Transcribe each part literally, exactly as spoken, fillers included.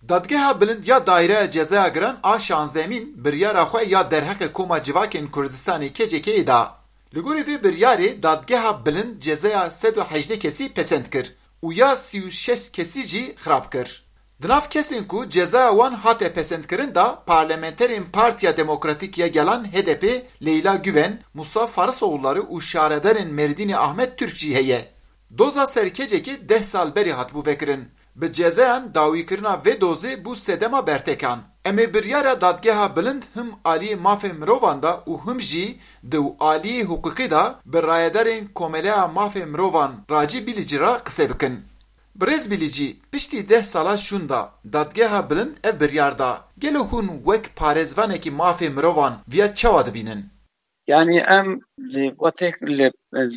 Dadgeha Bilind ya Daîreya Cezaya Giran a şazdehemîn biryara xwe ya derheqê Koma Civakên Kurdistanê K C K'yê da. Li gorî vê biryarê Dadgeha Bilind cezaya sed û hejdeh kesî pesend kir û ya sî û şeş kesî jî xirab kir. Di nav kesên ku cezaya wan hate pesendkirin de parlamenterên Partiya Demokratîk ya Gelan H D P Leyla Güven, Musa Farisoğulları û şaredarên Mêrdînê Ahmet Türk jî heye. Doza ser K C K'ê deh sal berê hatibû vekirin. Bi cezayan dawîkirina vê dozê bû sedema bertekan. Em ê biryara Dadgeha Bilind him aliyê mafê mirovan de û him jî di aliyê hiqûqî de bi rayedarên Komeleya Mafê Mirovan Racî Bilîcî re qise bikin. Birêz Bilîcî, piştî deh sala şûnda Dadgeha Bilind ev biryar da. Gelo hûn wek parêzvanekî mafê mirovan viya çawa dibînin? Yani em li wetek li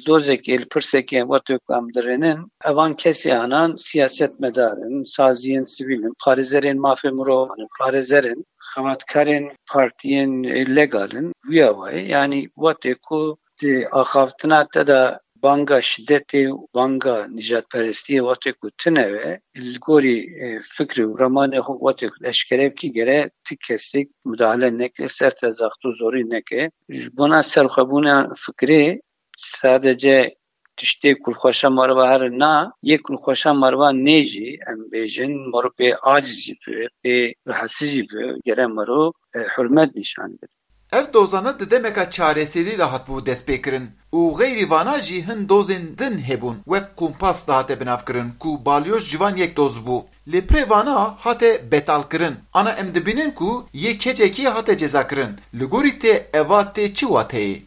dozekê, li pirsekê wetek em dirênin, evan kesê anan siyasetmedar in, saziyên sivîl in, parêzerên mafê mirovan in, parêzer in, xebatkarên partiyên legal in. Wî awayî, yani wetek ku di axaftina te de banga şidetê û banga nijadperestiyê wextê ku tune be, li gorî, e, fikrê û remanê xwe wextê ku eşkere bikî, gere ti kesik mudahale neke, ser te zaxt û zorî neke. Ji bona serxwebûna fikrê sadece tiştê ku li xweşa meriva here na, yê ku li xweşa meriva nê jî, em bêjin, merivê aciz jî be, bê rahatsiz jî be, gere meriv, e, hurmet nîşan bide. Ev dozane di demeka çareserî de hatibû destpêkirin û xeyrî vana jî hin dozên din hebûn, wek kumpas dihate binavkirin ku balyoz ciwan yek doz bû. Lê pirê vana hate betalkirin. Ana em dibînin ku yê K C K'ê hate cezakirin. Li gorî te eva tê çi wateyê?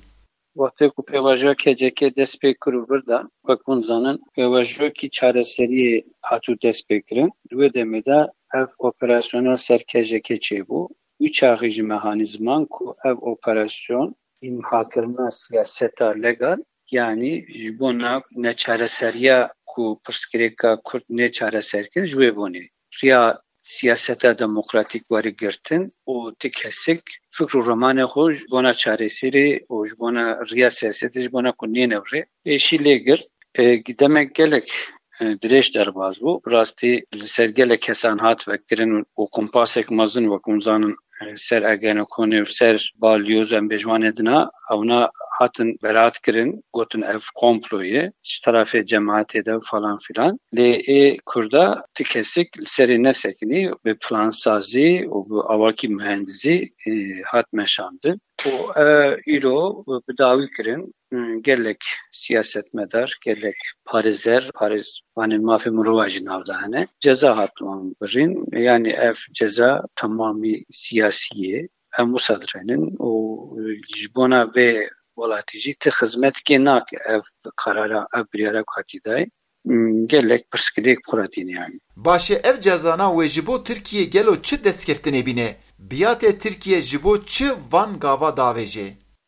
Wextê ku pêvajoya K C K dest pê kir û vir da, wek hûn zanin, pêvajoyekî çareseriyê hatû dest pê kirin. Di wê demê de ev operasyona ser K C K çêbû. Wî çaxî jî mehanîzman ku ev operasyon îmhakirina siyaseta legal, yanî ji bona neçareseriya ku pirsgirêka Kurd nê çareserkirin ji wê bonê riya siyaseta demokratîk were girtin û ti kesik fikr û remanê xwe ji bona çareserî û ji bona riya siyasetê ji bona ku nêne rê êşî lê girt. E, demek gelek, e, dirêj derbas bû. Bi rastî li ser gelek kesan hat vekirin û kumpasek mezin, wek hûn zanin, e, ser Ergenekonê û ser balyoz em bêjwanê dina, ewna hatin beraat kirin, gotin ev komplo ye, ji terafê cemaetê de falan filan. Lê ê Kurda ti kesik li serê nesekinî, bi plansazî û bi awakî mühendizî, e, hat meşandin. Û, e, îro bi dawî kirin, e, gelek siyasetmedar, gelek parêzer, parêzvanên mafê mirova jî nav de hene. Ceza hat wan birîn, yanî ev ceza temamî siyasî ye. Em wisa dirênin û ji bona vê welatî jî ti xizmetkê nake ev karara, ev biryara ku hatî dayî. Hmm, gelek pirsgirêk bi xwe re tîne yanî. Baş e, ev cezana wê ji bo Tirkiye gelo çi destkeftinê bîne? Biyate Tirkiye ji bo çi van gava davêje?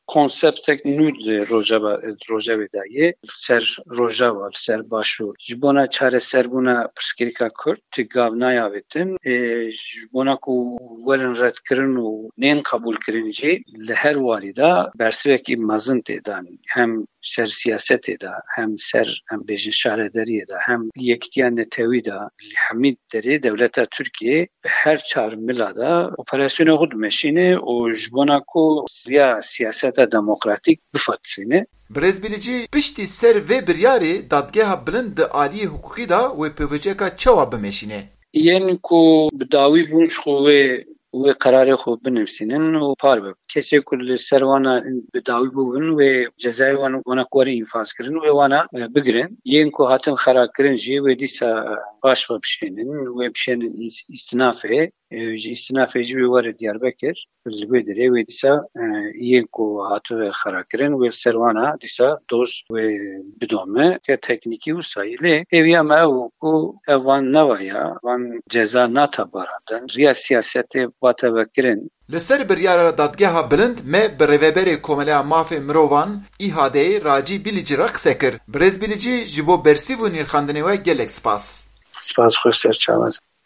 Konseptek nû di Rojava, Rojavê de ye. Li ser Rojava, li ser Başûr. Ji bona çareserbûna pirsgirêka Kurd ti gav nayavêtin. Ê, ji bona ku werin redkirin û nên qebûlkirin jî li her warî de bersivekî mezin tê dan. Hem ser siyasetê de, hem ser, em bêjin, şaredariyê de, hem li yekitiya netewî de, li hemî derê dewleta Tirkiyê bi her çar mila de operasyonê xwe dimeşîne û ji bona ku riya siyaseta demokratîk bifetisîne. Birêz Bilîcî, piştî ser vê biryarê dadgeha bilind di aliyê hiqûqî de wê pêvajoyeka çawa bimeşîne? Yên ku bi dawî bûn ji xwe wê wê qerarê xwe binivîsînin û parve. Kesê ku li ser wana bi dawî bûbin, wê cezayê wan, wana ku were înfazkirin, wê wana, e, bigirin. Yên ku hatin xerakirin jî wê dîsa, e, paş ve bişênin, wê bişênin îs-, îstinafê, e, ji îstinafê jî wê were Diyarbekir. Li wê derê wê dîsa, e, yên ku hatibû xerakirin, wê li ser wana dîsa doz wê bidome. Ke teknîkî wisa ye. Lê hêviya me ew ku ev van nava ya, van ceza nate barandin. Riya siyasetê vate vekirin. Li ser biryara dadgeha bilind me bi rêveberê Komeleya Mafê Mirovan, İHA'yê Racî Bilîcî re qise kir. Birêz Bilîcî, ji bo bersîv û nirxandinê we gelek spas. Spas, xweş ser çavan.